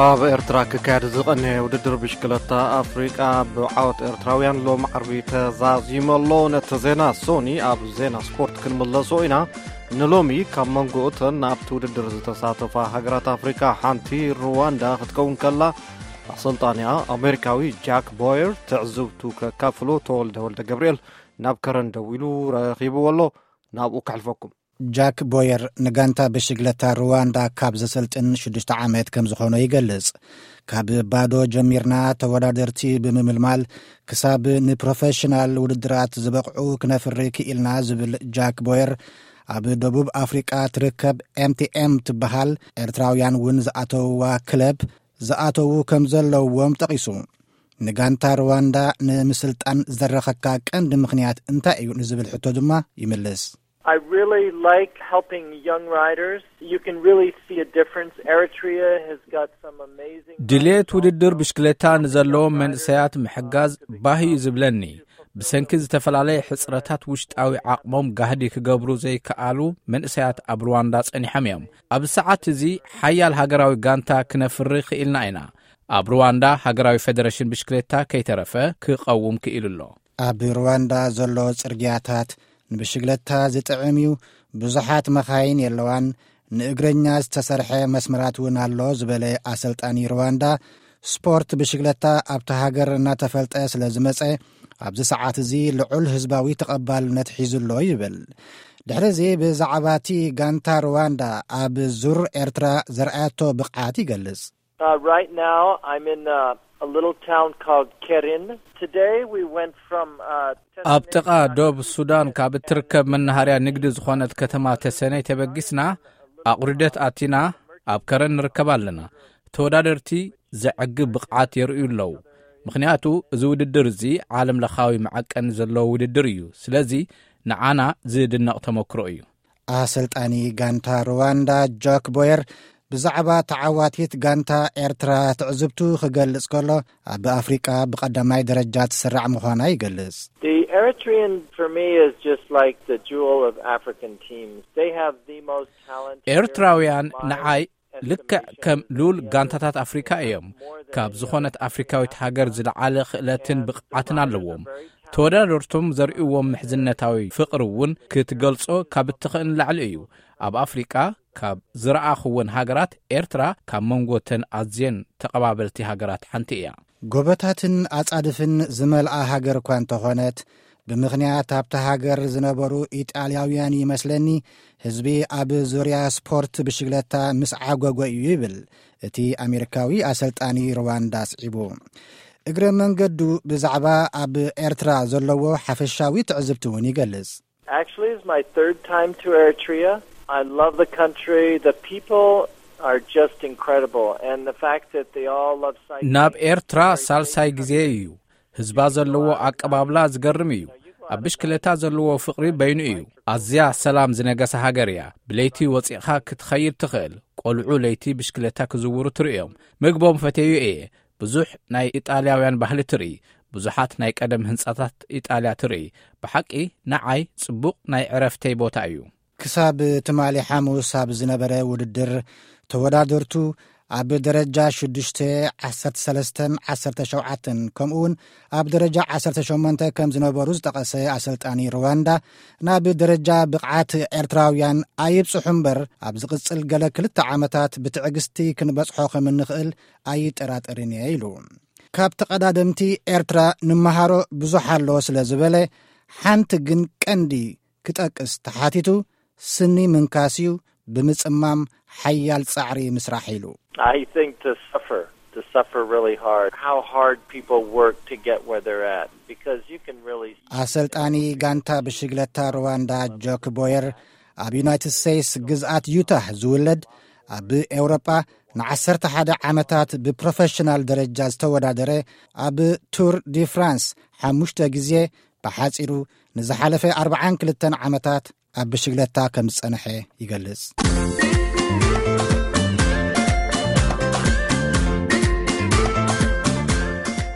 ኣብ ኤርትራ ክካየድ ዝቐነየ ውድድር ብሽክለታ ኣፍሪቃ ብዓወት ኤርትራውያን ሎም ዓርቢ ተዛዚሙ ኣሎ። ነቲ ዜና ሶኒ ኣብ ዜና ስፖርት ክንምለሶ ኢና። ንሎሚ ካብ መንጎ እተን ኣብቲ ውድድር ዝተሳተፋ ሃገራት ኣፍሪቃ ሓንቲ ሩዋንዳ ክትከውን ከላ፣ ኣሰልጣኒኣ ኣሜሪካዊ ጃክ ቦየር ትዕዝብቱ ከካፍሎ ተወልደ ወልደ ገብርኤል ናብ ከረን ደዊሉ ረኺብዎ ኣሎ። ናብኡ ከሕልፈኩም። ጃክ ቦየር ንጋንታ ብሽግለታ ሩዋንዳ ካብ ዘሰልጥን ሽዱሽተ ዓመት ከም ዝኾኖ ይገልጽ። ካብ ባዶ ጀሚርና፣ ተወዳደርቲ ብምምልማል ክሳብ ንፕሮፌሽናል ውድድራት ዝበቕዑ ክነፍሪ ክኢልና ዝብል ጃክ ቦየር፣ ኣብ ደቡብ ኣፍሪቃ ትርከብ ኤምቲኤም ትበሃል ኤርትራውያን እውን ዝኣተውዋ ክለብ ዝኣተዉ ከም ዘለውዎም ጠቒሱ። ንጋንታ ሩዋንዳ ንምስልጣን ዝደረኸካ ቀንዲ ምኽንያት እንታይ እዩ ንዝብል ሕቶ ድማ ይምልስ። I really like helping young riders. You can really see a difference. Eritrea has got some amazing ድሌት ውድድር ብሽክለታ ንዘለዎም መንእሰያት ምሕጋዝ ባህ እዩ ዝብለኒ። ብሰንኪ ዝተፈላለየ ሕጽረታት ውሽጣዊ ዓቕሞም ጋህዲ ክገብሩ ዘይከኣሉ መንእሰያት ኣብ ሩዋንዳ ጸኒሖም እዮም። ኣብ ሰዓት እዚ ሓያል ሃገራዊ ጋንታ ክነፍሪ ክኢልና ኢና። ኣብ ሩዋንዳ ሃገራዊ ፌደሬሽን ብሽክሌታ ከይተረፈ ክቐውም ክኢሉ ኣሎ። ኣብ ሩዋንዳ ዘሎ ጽርግያታት ንብሽግለታ ዝጥዕም እዩ። ብዙሓት መኻይን የለዋን። ንእግረኛ ዝተሰርሐ መስመራት እውን ኣሎ ዝበለ ኣሰልጣኒ ሩዋንዳ፣ ስፖርት ብሽግለታ ኣብቲ ሃገር እናተፈልጠ ስለ ዝመጸ ኣብዚ ሰዓት እዚ ልዑል ህዝባዊ ተቐባልነት ሒዙ ኣሎ ይብል። ድሕሪ እዚ ብዛዕባ እቲ ጋንታ ሩዋንዳ ኣብ ዙር ኤርትራ ዘርኣያቶ ብቕዓት ይገልጽ። Uh, right now, I'm in uh, a little town called Kerin. Today, we went from uh, ኣብ ጥቓ ዶብ ሱዳን ካብ እትርከብ መናሃርያ ንግዲ ዝኾነት ከተማ ተሰነይ ተበጊስና ኣቑርደት ኣቲና ኣብ ከረን ንርከብ ኣለና። ተወዳደርቲ ዘዕግብ ብቕዓት የርእዩ ኣለዉ። ምኽንያቱ እዚ ውድድር እዚ ዓለም ለኻዊ መዐቀኒ ዘለዎ ውድድር እዩ። ስለዚ ንዓና ዝድነቕ ተመክሮ እዩ። ኣሰልጣኒ ጋንታ ሩዋንዳ ጆክ ቦየር ብዛዕባ ተዓዋቲት ጋንታ ኤርትራ ትዕዝብቱ ክገልጽ ከሎ፣ ኣብ ኣፍሪቃ ብቐዳማይ ደረጃ ትስራዕ ምዃና ይገልጽ። The Eritrean for me is just like the jewel of African teams. They have the most talented ኤርትራውያን ንዓይ ልክዕ ከም ሉል ጋንታታት ኣፍሪካ እዮም። ካብ ዝኾነት ኣፍሪካዊት ሃገር ዝለዓለ ክእለትን ብቕዓትን ኣለዎም። ተወዳደርቶም ዘርእዎም ምሕዝነታዊ ፍቕሪ እውን ክትገልጾ ካብ እትኽእል ንላዕሊ እዩ። ኣብ ኣፍሪቃ ካብ ዝረኣኽወን ሃገራት ኤርትራ ካብ መንጎተን ኣዝየን ተቐባበልቲ ሃገራት ሓንቲ እያ። ጎበታትን ኣጻድፍን ዝመልኣ ሃገር እኳ እንተኾነት፣ ብምኽንያት ኣብታ ሃገር ዝነበሩ ኢጣልያውያን ይመስለኒ ህዝቢ ኣብ ዙርያ ስፖርት ብሽግለታ ምስ ዓጎጎ እዩ ይብል እቲ ኣሜሪካዊ ኣሰልጣኒ ሩዋንዳ ኣስዒቡ። እግረ መንገዱ ብዛዕባ ኣብ ኤርትራ ዘለዎ ሓፈሻዊ ትዕዝብቲ እውን ይገልጽ። Actually, it's my third time to Eritrea. I love the country. The people are just incredible. And the fact that they all love cycling ናብ ኤርትራ ሳልሳይ ግዜ እዩ። ህዝባ ዘለዎ ኣቀባብላ ዝገርም እዩ። ኣብ ብሽክለታ ዘለዎ ፍቕሪ በይኑ እዩ። ኣዝያ ሰላም ዝነገሰ ሃገር እያ። ብለይቲ ወጺእኻ ክትኸይድ ትኽእል። ቆልዑ ለይቲ ብሽክለታ ክዝውሩ ትርእዮም። ምግቦም ፈተዩ እየ። ብዙሕ ናይ ኢጣልያውያን ባህሊ ትርኢ። ብዙሓት ናይ ቀደም ህንጻታት ኢጣልያ ትርኢ። ብሓቂ ንዓይ ጽቡቕ ናይ ዕረፍተይ ቦታ እዩ። ክሳብ ትማሊ ሓሙስ ኣብ ዝነበረ ውድድር፣ ተወዳደርቱ ኣብ ደረጃ ሽዱሽተ፣ ዓሰርተ ሰለስተን ዓሰርተ ሸውዓተን፣ ከምኡ እውን ኣብ ደረጃ ዓሰርተ ሸሞንተ ከም ዝነበሩ ዝጠቐሰ ኣሰልጣኒ ሩዋንዳ፣ ናብ ደረጃ ብቕዓት ኤርትራውያን ኣይብጽሑ እምበር፣ ኣብ ዝቕጽል ገለ ክልተ ዓመታት ብትዕግስቲ ክንበጽሖ ከም እንኽእል ኣይጠራጠርን እየ ኢሉ። ካብ ተቐዳደምቲ ኤርትራ ንመሃሮ ብዙሕ ኣሎ ስለ ዝበለ፣ ሓንቲ ግን ቀንዲ ክጠቅስ ተሓቲቱ፣ ስኒ ምንካስ እዩ፣ ብምጽማም ሓያል ጻዕሪ ምስራሕ ኢሉ። I think to suffer, to suffer really hard. How hard people work to get where they're at, because you can really ኣሰልጣኒ ጋንታ ብሽግለታ ሩዋንዳ ጆክ ቦየር፣ ኣብ ዩናይትድ ስቴትስ ግዝኣት ዩታህ ዝውለድ፣ ኣብ ኤውሮጳ ንዓሰርተ ሓደ ዓመታት ብፕሮፌሽናል ደረጃ ዝተወዳደረ፣ ኣብ ቱር ዲ ፍራንስ ሓሙሽተ ግዜ፣ ብሓጺሩ ንዝሓለፈ ኣርብዓን ክልተን ዓመታት ኣብ ብሽግለታ ከም ዝጸንሐ ይገልጽ።